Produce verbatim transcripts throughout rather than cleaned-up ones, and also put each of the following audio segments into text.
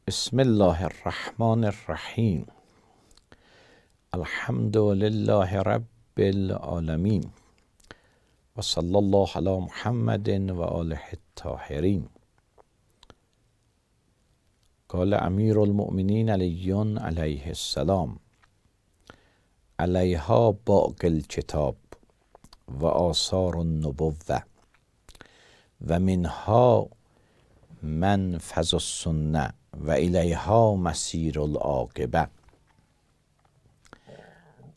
Bismillahirrahmanirrahim. Elhamdülillahi Rabbil alemin. Ve sallallahu ala Muhammedin ve alihi tahirin. Kale Emirul Mu'minin Aliyyun aleyhisselam. Aleyha ba'gil kitab ve asarun nubuvve ve minha menfezus sünne ve ileyha mesirul akibe.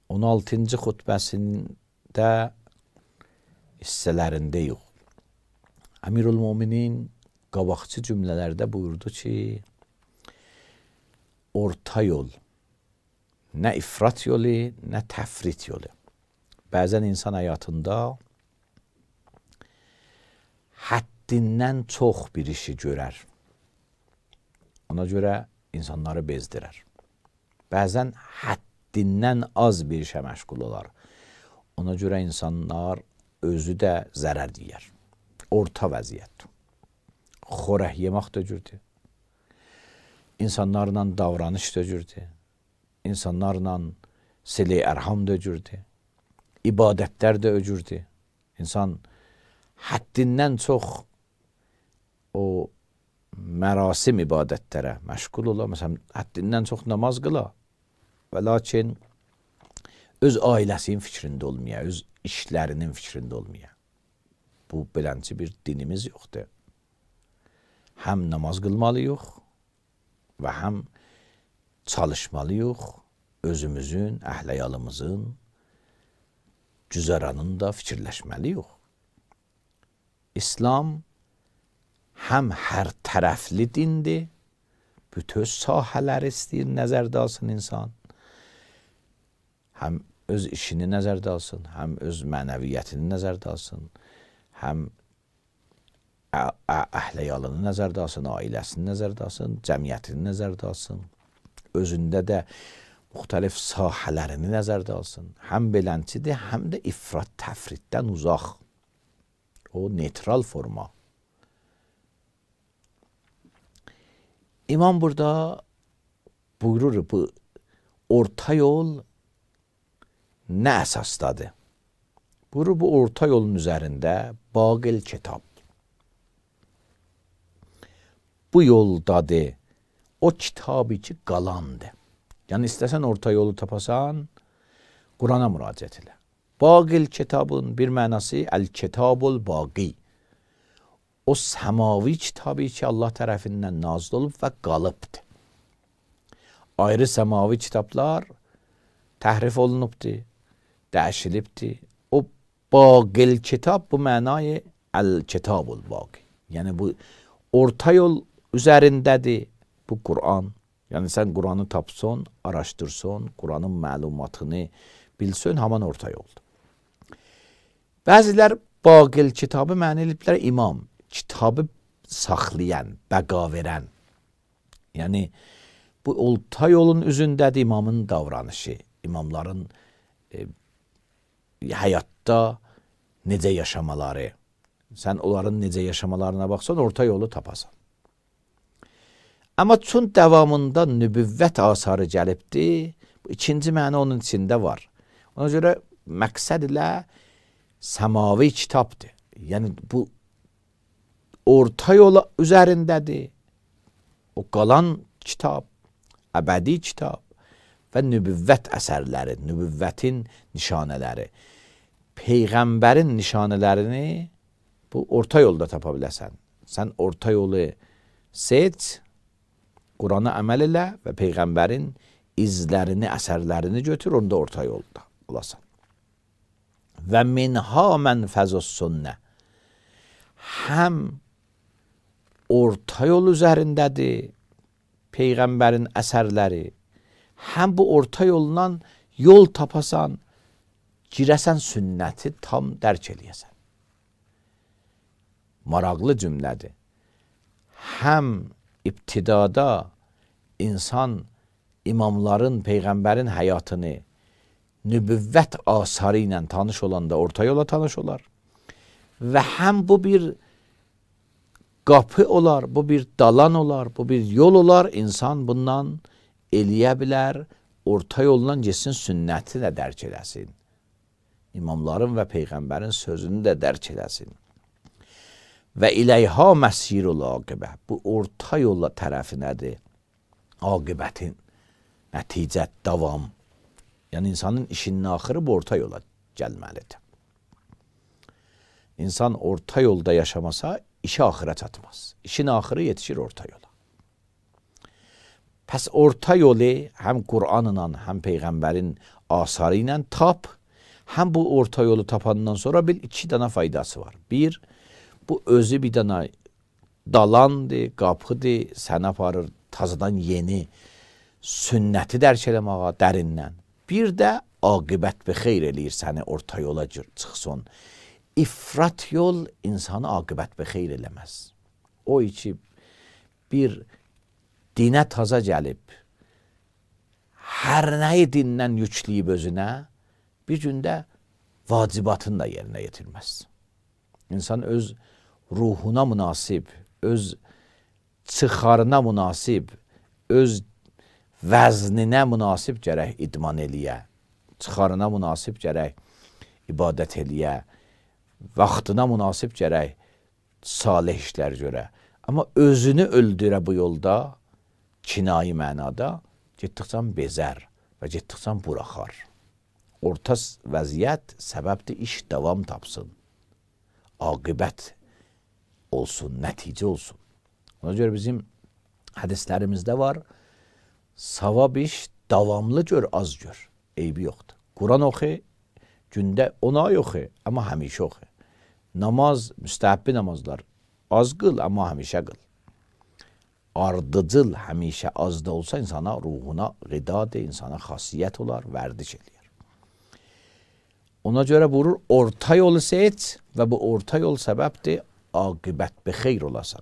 on altıncı xutbəsində hissələrindəyik. Emirul Müminin qabaqçı cümlələrdə buyurdu ki, orta yol, nə ifrat yolu, nə təfrit yolu. Bəzən insan həyatında həddindən çox bir işi görər. Ona görə insanları bezdirər. Bəzən həddindən az bir işə məşğul olar. Ona görə insanlar özü də zərər yeyər. Orta vəziyyət. Xorək yemək də cürdür. İnsanlarla davranış da cürdür. İnsanlarla sili ərham da cürdür. İbadətlər də öcürdür. İnsan həddindən çox o mərasim ibadətlərə məşğul ola. Məsələn, həddindən çox namaz qıla və lakin öz ailəsinin fikrində olmaya, öz işlərinin fikrində olmaya. Bu, belənci bir dinimiz yoxdur. Həm namaz qılmalıyıq və həm çalışmalıyıq özümüzün, əhləyalımızın güzəranında fikirləşməliyik. İslam həm hər tərəfli dindir, bütün sahələr istəyir, nəzərdə alsın insan. Həm öz işini nəzərdə alsın, həm öz mənəviyyətini nəzərdə alsın, həm əhləyalını nəzərdə alsın, ailəsini nəzərdə alsın, cəmiyyətini nəzərdə alsın, özündə də müxtəlif sahələrini nəzərdə alsın. Həm belənçidir, həm də ifrat təfritdən uzaq. O neytral forma. İmam burada buyurur, bu orta yol nə əsasdadır? Buyurur, bu orta yolun üzərində baqil kitab. Bu yoldadır, o kitabı ki qalandır. Yəni, istəsən orta yolu tapasan, Qurana müraciət elə. Baqil kitabın bir mənası əl-kitabul baqi. O səmavi kitabı ki, Allah tərəfindən nazil olub və qalıbdır. Ayrı səmavi kitablar təhrif olunubdur, dəyişilibdir. O baqil kitab bu mənayı əl-kitabul baqi. Yəni, bu orta yol üzərindədir bu Quran. Yəni, sən Quranı tapsın, araşdırsın, Quranın məlumatını bilsin, haman orta yoldur. Bəzilər baqil kitabı məni eliblər imam. Kitabı saxlayan, bəqa verən. Yəni, bu orta yolun üzündədir imamın davranışı, imamların e, həyatda necə yaşamaları. Sən onların necə yaşamalarına baxsan, orta yolu tapasan. Amma çün davamında nübüvvət asarı gəlibdir, bu ikinci mənə onun içində var. Ona görə məqsəd ilə səmavi kitabdır. Yəni, bu orta yola üzərindədir. O qalan kitab, əbədi kitab və nübüvvət əsərləri, nübüvvətin nişanələri, Peyğəmbərin nişanələrini bu orta yolda tapa biləsən. Sən orta yolu seç, Qurana əməl elə və Peyğəmbərin izlərini, əsərlərini götür, onda orta yolda olasan. Və minha mənfəzus sünnə. Həm orta yol üzərindədir Peyğəmbərin əsərləri, həm bu orta yoldan yol tapasan, girəsən sünnəti tam dərk eləyəsən. Maraqlı cümlədir. Həm ibtidada insan imamların, Peyğəmbərin həyatını nübüvvət asarı ilə tanış olanda orta yola tanış olar. Və həm bu bir qapı olar, bu bir dalan olar, bu bir yol olar. İnsan bundan eləyə bilər, orta yoldan getsin, sünnəti də dərk eləsin. İmamların və Peyğəmbərin sözünü də dərk eləsin. Və iləyha məsirul aqibə. Bu orta yolla tərəfi nədir? Aqibətin, nəticət, davam. Yəni insanın işinin axırı bu orta yola gəlməlidir. İnsan orta yolda yaşamasa işi axıra çatmaz. İşin axırı yetişir orta yola. Pəs orta yolu həm Qur'anla, həm Peyğəmbərin asarı ilə tap, həm bu orta yolu tapandan sonra bil iki dana faydası var. Bir, bu özü bir dana dalandır, qapıdır, səni aparır tazadan yeni sünnəti dərk eləməyə dərindən. Bir də aqibət bi xeyr eləyir səni orta yola çıxsın. İfrat yol insanı aqibət bi xeyr eləməz. O içi bir dinə taza gəlib, hər nəyi dindən yükləyib özünə, bir gündə vacibatını da yerinə yetirməz. İnsan öz ruhuna münasib, öz çıxarına münasib, öz vəzninə münasib gərək idman eləyə, çıxarına münasib gərək ibadət eləyə, vaxtına münasib gərək salih işlər görə. Amma özünü öldürə bu yolda, kinayi mənada, getdikcən bezər və getdikcən buraxar. Orta vəziyyət səbəbdir, iş davam tapsın, aqibət olsun, nəticə olsun. Ona görə bizim hədislərimizdə var, savab iş davamlı gör, az gör, eybi yoxdur. Quran oxu, gündə on ay oxu, amma həmişə oxu. Namaz, müstəhəbbi namazlar, az qıl, amma həmişə qıl. Ardıcıl həmişə az da olsa insana, ruhuna qidadır, insana xasiyyət olar, vərdiş eləyir. Ona görə buyurur, orta yolu seç və bu orta yol səbəbdir, aqibət bi xeyr olasan.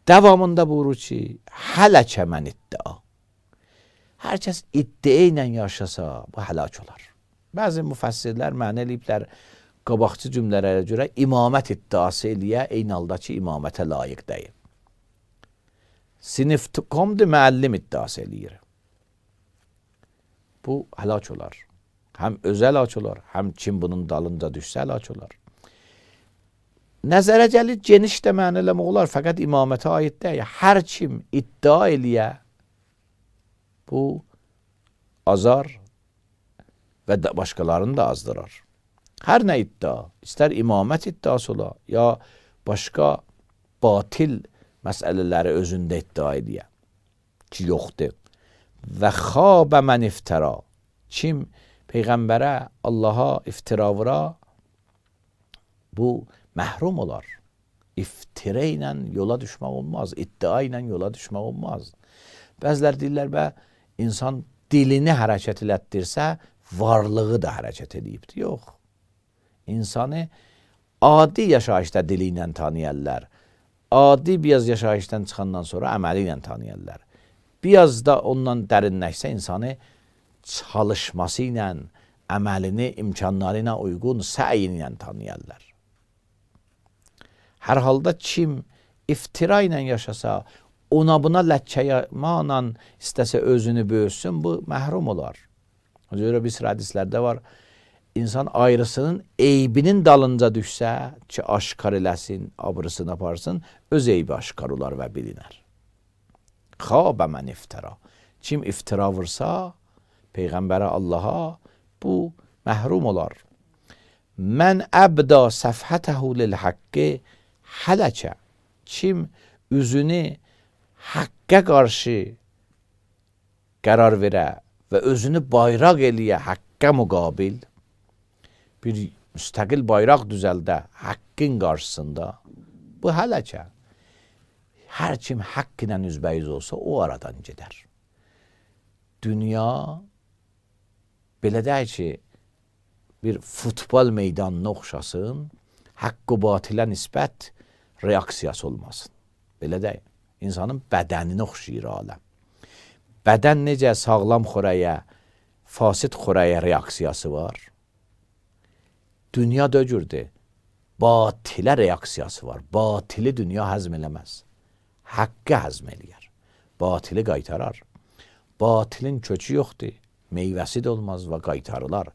Davamında buyurur ki, hələkə mən iddia. Hər kəs iddia ilə yaşasa, bu həlak olar. Bəzi müfəssirlər mənə eləyiblər, qabaqçı cümlələrə görə imamət iddiası eləyə, eyni halda ki, imamətə layiq deyil. Siniftikomdur, müəllim iddiası eləyir. Bu həlak olar. Həm özə həlak olar, həm kim bunun dalınca düşsə həlak olar. Nəzərə gəlir, geniş də mənə eləmək olar, fəqət imamətə aid deyil. Hər kim iddia eləyə, bu azar və başqalarını da azdırar. Hər nə iddia, istər imamət iddiası ola, ya başqa batil məsələləri özündə iddia eləyə ki, yoxdur. Və xabə mən iftira. Kim Peyğəmbərə, Allaha iftira vura, bu məhrum olar. İftira ilə yola düşmək olmaz, iddia ilə yola düşmək olmaz. Bəzilər deyirlər, bə, insan dilini hərəkət elətdirsə, varlığı da hərəkət edibdir. Yox. İnsanı adi yaşayışda dili ilə tanıyarlar. Adi biraz yaşayışdan çıxandan sonra əməli ilə tanıyarlar. Biraz da ondan dərinləşsə insanı çalışması ilə, əməlini, imkanları ilə uyğun səyin ilə tanıyarlar. Hər halda kim iftira ilə yaşasa, ona buna ləkkəyəmanla istəsə özünü böyüsün, bu məhrum olar. O görə bir sıra hədislərdə var, insan ayrısının eybinin dalınca düşsə ki, aşkar eləsin, abrısını aparsın, öz eybi aşkar olar və bilinər. Xabə mən iftira. Kim iftira vursa, Peyğəmbərə, Allaha, bu məhrum olar. Mən əbda səfhətəhu lil-haqqi hələkə. Kim üzünü haqqə qarşı qərar verə və özünü bayraq eləyə haqqə müqabil, bir müstəqil bayraq düzəldə haqqın qarşısında, bu hələkə. Hər kim haqq ilə üzbəyiz olsa, o aradan gedər. Dünya belə deyək ki, bir futbol meydanına oxşasın, haqq-ı batilə nisbət reaksiyası olmasın. Belə deyək, insanın bədəninə oxşayır aləm. Bədən necə sağlam xörəyə, fasid xörəyə reaksiyası var. Dünya dögürdür. batilə reaksiyası var. Batili dünya həzm eləməz. Haqqı həzm eləyər. Batili qaytarar. Batilin kökü yoxdur. Meyvəsi də olmaz və qaytarılar.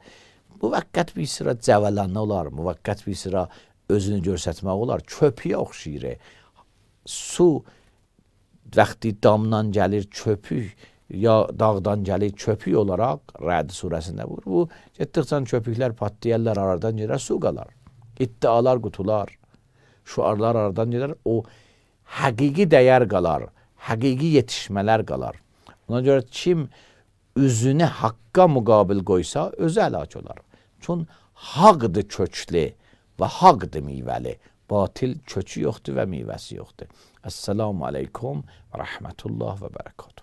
Müvəqqət bir sıra cəvələnə olar. Müvəqqət bir sıra özünü görsətmək olar. Köpüyə oxşayır. Su vaxtı damdan gəlir köpük ya dağdan gəlir köpük olaraq Rəd surəsində vurur. Bu getdikcə köpüklər patlayarlar, aradan gedər, su qalar. İddialar qutular, şuarlar aradan gedər, o həqiqi dəyər qalar, həqiqi yetişmələr qalar. Ona görə kim üzünü haqqa müqabil qoysa özü həlak olar. Çün haqdır köklü və haqdır meyvəli. Batil kökü yoxdur və meyvəsi yoxdur. Esselamu aleykum və rəhmətullah və bərəkatuhu.